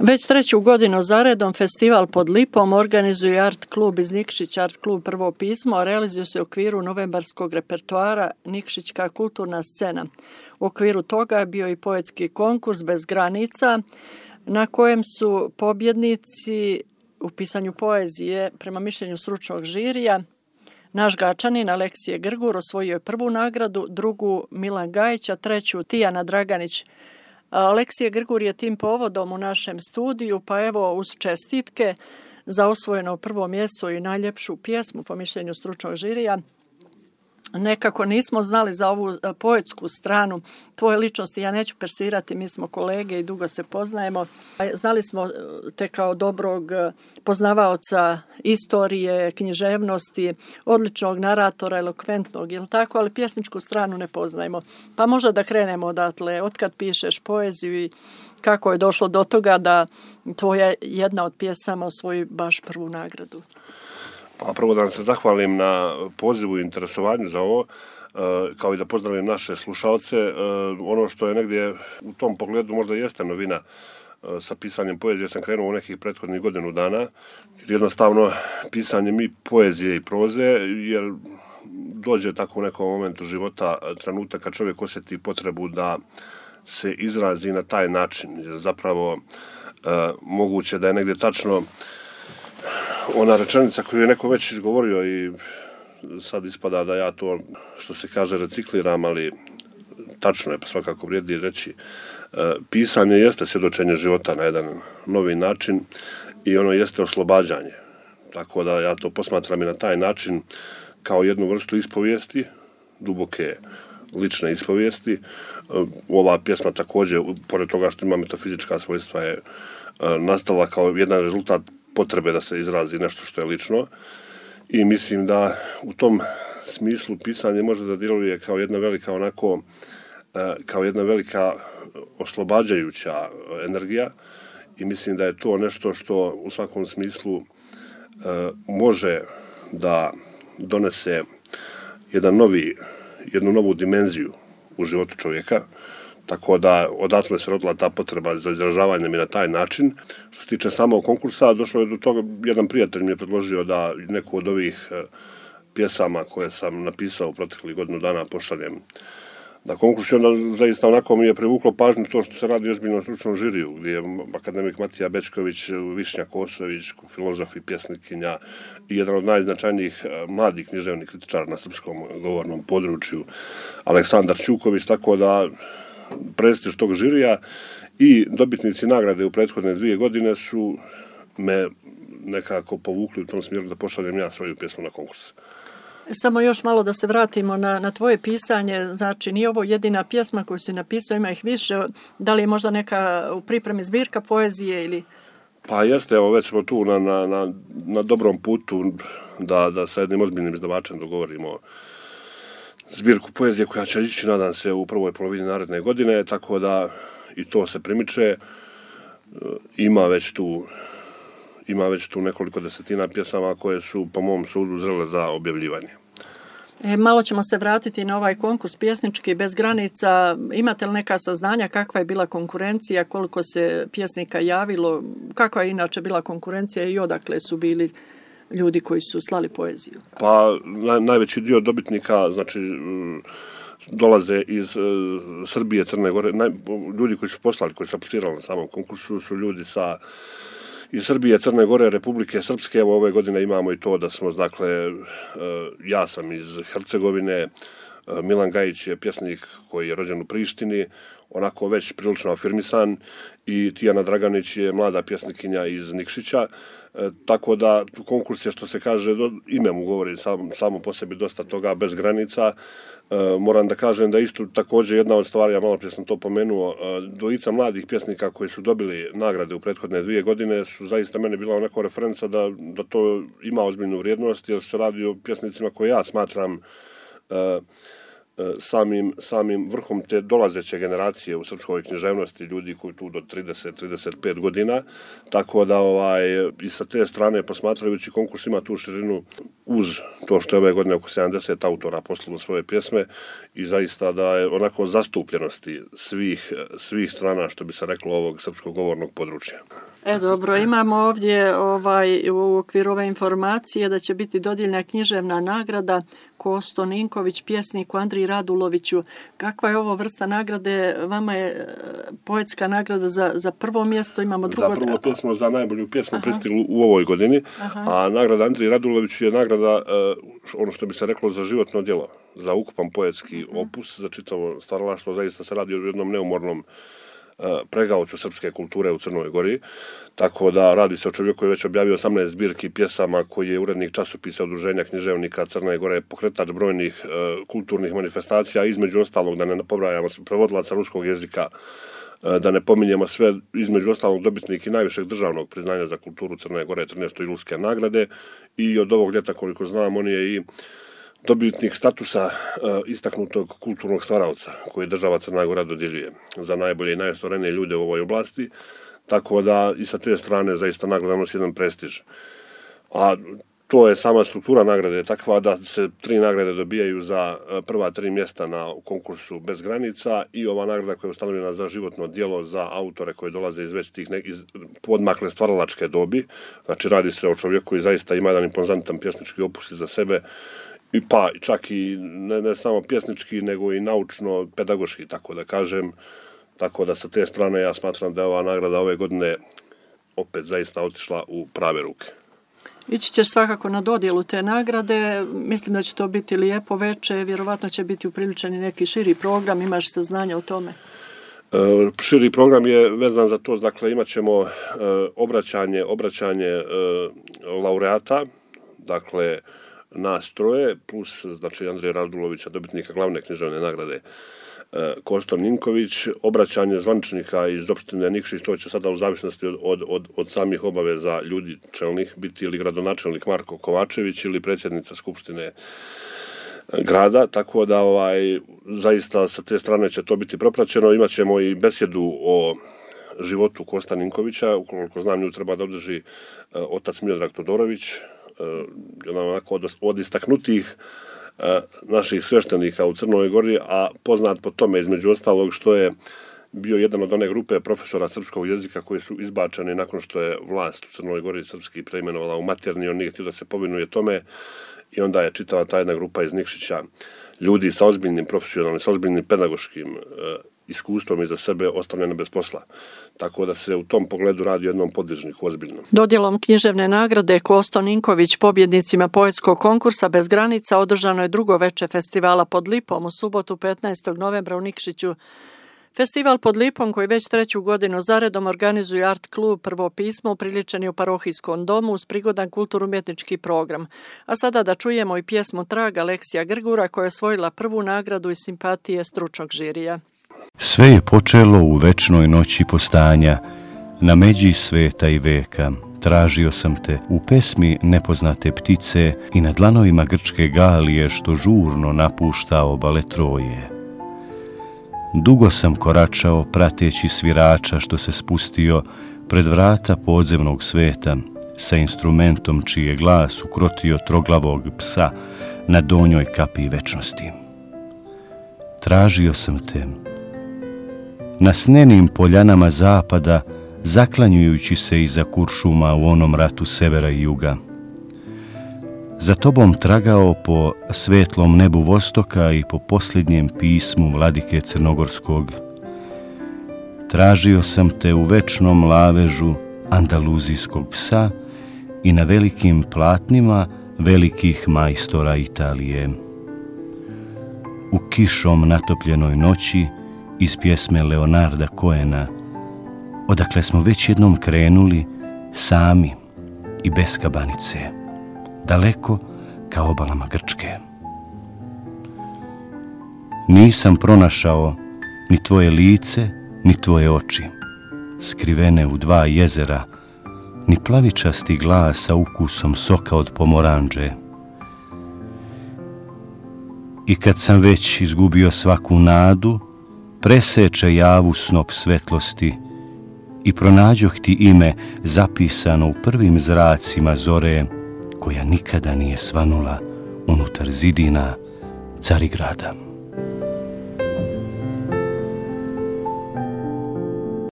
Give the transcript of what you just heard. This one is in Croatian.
Već 3. godinu zaredom festival pod Lipom organizuje Art klub iz Nikšića, Art klub Prvo pismo, a realizuje se u okviru novembarskog repertoara Nikšićka kulturna scena. U okviru toga je bio i poetski konkurs Bez granica, na kojem su pobjednici u pisanju poezije, prema mišljenju stručnog žirija, naš Gačanin Aleksije Grgur osvojio je prvu nagradu, drugu Milan Gajić, a treću Tijana Draganić. Aleksije Grgur je tim povodom u našem studiju, pa evo uz čestitke za osvojeno prvo mjesto i najljepšu pjesmu po mišljenju stručnog žirija. Nekako nismo znali za ovu poetsku stranu tvoje ličnosti, ja neću persirati, mi smo kolege i dugo se poznajemo. Znali smo te kao dobrog poznavaoca istorije, književnosti, odličnog naratora, elokventnog, jel tako, ali pjesničku stranu ne poznajemo. Pa možda da krenemo odatle, otkad pišeš poeziju i kako je došlo do toga da tvoja jedna od pjesama osvoji baš prvu nagradu. Pa prvo da vam se zahvalim na pozivu i interesovanju za ovo, kao i da pozdravim naše slušalce. Ono što je negdje u tom pogledu možda jeste novina sa pisanjem poezije, sam krenuo u nekih prethodnih godinu dana. Jednostavno, pisanjem i poezije i proze, jer dođe tako u nekom momentu života trenutak kad čovjek osjeti potrebu da se izrazi na taj način. Jer zapravo moguće da je negdje tačno ona rečenica koju je neko već izgovorio i sad ispada da ja to, što se kaže, recikliram, ali tačno je, pa svakako vrijedi reći. Pisanje jeste svjedočenje života na jedan novi način i ono jeste oslobađanje. Tako da ja to posmatram i na taj način kao jednu vrstu ispovijesti, duboke lične ispovijesti. Ova pjesma također, pored toga što ima metafizička svojstva, je nastala kao jedan rezultat potrebe da se izrazi nešto što je lično i mislim da u tom smislu pisanje može da djeluje kao jedna velika kao jedna velika oslobađajuća energija i mislim da je to nešto što u svakom smislu može da donese jednu novu dimenziju u životu čovjeka. Tako da odatle se rodila ta potreba za izražavanjem i na taj način. Što se tiče samog konkursa, došlo je do toga, jedan prijatelj mi je predložio da neku od ovih pjesama koje sam napisao u proteklih godinu dana pošaljem na konkurs. I onda zaista onako mi je privuklo pažnju to što se radi o ozbiljnom stručnom žiriju, gdje je akademik Matija Bečković, Višnja Kosović, filozof i pjesnikinja i jedan od najznačajnijih mladih književnih kritičara na srpskom govornom području, Aleksandar Ćuković, tako da prestiž tog žirija i dobitnici nagrade u prethodne 2 godine su me nekako povukli u tom smjeru da pošaljem ja svoju pjesmu na konkurs. Samo još malo da se vratimo na tvoje pisanje, znači nije ovo jedina pjesma koju si napisao, ima ih više, da li je možda neka u pripremi zbirka poezije ili... Pa jeste, evo već smo tu na dobrom putu da sa jednim ozbiljnim izdavačem dogovorimo zbirku poezije koja će ići, nadam se, u prvoj polovini naredne godine, tako da i to se primiče. Ima već tu nekoliko desetina pjesama koje su, po mom sudu, zrele za objavljivanje. Malo ćemo se vratiti na ovaj konkurs pjesnički Bez granica. Imate li neka saznanja kakva je bila konkurencija, koliko se pjesnika javilo, kakva je inače bila konkurencija i odakle su bili ljudi koji su slali poeziju? Pa najveći dio dobitnika, znači, dolaze iz Srbije, Crne Gore. Ljudi koji su poslali, koji su aplicirali na samom konkursu su ljudi iz Srbije, Crne Gore, Republike Srpske. Evo ove godine imamo i to da smo, dakle, ja sam iz Hercegovine, Milan Gajić je pjesnik koji je rođen u Prištini, onako već prilično afirmisan, i Tijana Draganić je mlada pjesnikinja iz Nikšića. Tako da konkurs je, što se kaže, ime mu govori samo po sebi dosta toga, bez granica. Moram da kažem da isto također jedna od stvari, ja malo prije sam to pomenuo, dvojica mladih pjesnika koji su dobili nagrade u prethodne 2 godine su zaista mene bila onako referenca da to ima ozbiljnu vrijednost, jer se radi o pjesnicima koje ja smatram samim vrhom te dolazeće generacije u srpskoj književnosti, ljudi koji tu do 30-35 godina, tako da i sa te strane posmatrajući konkurs ima tu širinu, uz to što je ove godine oko 70 autora poslalo svoje pjesme, i zaista da je onako zastupljenosti svih strana, što bi se reklo, ovog srpskog govornog područja. Dobro, imamo ovdje u okviru ove informacije da će biti dodijeljena književna nagrada Kosto Ninković, pjesniku Andriji Raduloviću. Kakva je ovo vrsta nagrade? Vama je poetska nagrada za prvo mjesto, imamo drugo... Za prvo pjesmo, za najbolju pjesmu pristiglu u ovoj godini, a nagrada Andriji Raduloviću je nagrada, ono što bi se reklo, za životno djelo, za ukupan poetski opus, za čitavo stvaralaštvo. Zaista se radi o jednom neumornom pregaocu srpske kulture u Crnoj Gori, tako da radi se o čovjeku koji je već objavio 18 zbirki pjesama, koji je urednik časopisa Udruženja književnika Crne Gore, pokretač brojnih kulturnih manifestacija, između ostalog, da ne pobrajamo, prevodilaca ruskog jezika, da ne pominjemo sve, između ostalog dobitnik i najvišeg državnog priznanja za kulturu Crne Gore, 13. julske nagrade, i od ovog ljeta, koliko znam, on je i dobitnik statusa istaknutog kulturnog stvaralca koji država Crna Gora dodjeljuje za najbolje i najostvarenije ljude u ovoj oblasti, tako da i sa te strane zaista nagrada nosi jedan prestiž. A to je sama struktura nagrade takva da se 3 nagrade dobijaju za prva 3 mjesta na konkursu Bez granica i ova nagrada koja je ustanovljena za životno djelo za autore koji dolaze iz već tih iz podmakle stvaralačke dobi. Znači radi se o čovjeku koji zaista ima jedan impozantan pjesnički opus za sebe, pa čak i ne samo pjesnički, nego i naučno-pedagoški, tako da kažem. Tako da sa te strane ja smatram da je ova nagrada ove godine opet zaista otišla u prave ruke. Ići ćeš svakako na dodjelu te nagrade, mislim da će to biti lijepo veče, vjerovatno će biti upriličen i neki širi program, imaš saznanja o tome? Širi program je vezan za to, dakle imat ćemo obraćanje laureata, dakle nas troje, plus znači Andrija Radulovića, dobitnika glavne književne nagrade Kosto Ninković, obraćanje zvaničnika iz opštine Nikšić, to će sada u zavisnosti od samih obaveza ljudi čelnih biti ili gradonačelnik Marko Kovačević ili predsjednica Skupštine grada, tako da zaista sa te strane će to biti propraćeno. Imaćemo i besjedu o životu Kosta Ninkovića, ukoliko znam nju treba da održi otac Miodrag Todorović, onako od istaknutih naših sveštenika u Crnoj Gori, a poznat po tome između ostalog što je bio jedan od one grupe profesora srpskog jezika koji su izbačeni nakon što je vlast u Crnoj Gori srpski preimenovala u materni, on nije htio da se povinuje tome i onda je čitava ta jedna grupa iz Nikšića ljudi sa ozbiljnim profesionalnim, sa ozbiljnim pedagoškim iskustvom iza sebe ostavljene bez posla. Tako da se u tom pogledu radi o jednom podvižniku ozbiljnom. Dodjelom književne nagrade Kosto Ninković pobjednicima poetskog konkursa Bez granica održano je drugo veče festivala Pod lipom u subotu 15. novembra u Nikšiću. Festival Pod lipom, koji već 3. godinu zaredom organizuje Art klub Prvo pismo, upriličen je u parohijskom domu uz prigodan kulturno-umjetnički program. A sada da čujemo i pjesmu Trag Aleksija Grgura koja je osvojila prvu nagradu i simpatije stručnog žirija. Sve je počelo u večnoj noći postanja, na međi sveta i veka. Tražio sam te u pesmi nepoznate ptice i na dlanovima grčke galije što žurno napušta obale Troje. Dugo sam koračao prateći svirača što se spustio pred vrata podzemnog sveta sa instrumentom čiji je glas ukrotio troglavog psa na donjoj kapi večnosti. Tražio sam te na snenim poljanama zapada, zaklanjujući se iza kuršuma u onom ratu severa i juga. Za tobom tragao po svetlom nebu vostoka i po posljednjem pismu vladike Crnogorskog. Tražio sam te u večnom lavežu andaluzijskog psa i na velikim platnima velikih majstora Italije. U kišom natopljenoj noći iz pjesme Leonarda Cohena, odakle smo već jednom krenuli sami i bez kabanice, daleko ka obalama Grčke. Nisam pronašao ni tvoje lice, ni tvoje oči, skrivene u 2 jezera, ni plavičasti glas sa ukusom soka od pomoranđe. I kad sam već izgubio svaku nadu, preseče javu snop svetlosti i pronađoh ti ime zapisano u prvim zracima zore, koja nikada nije svanula unutar zidina Carigrada.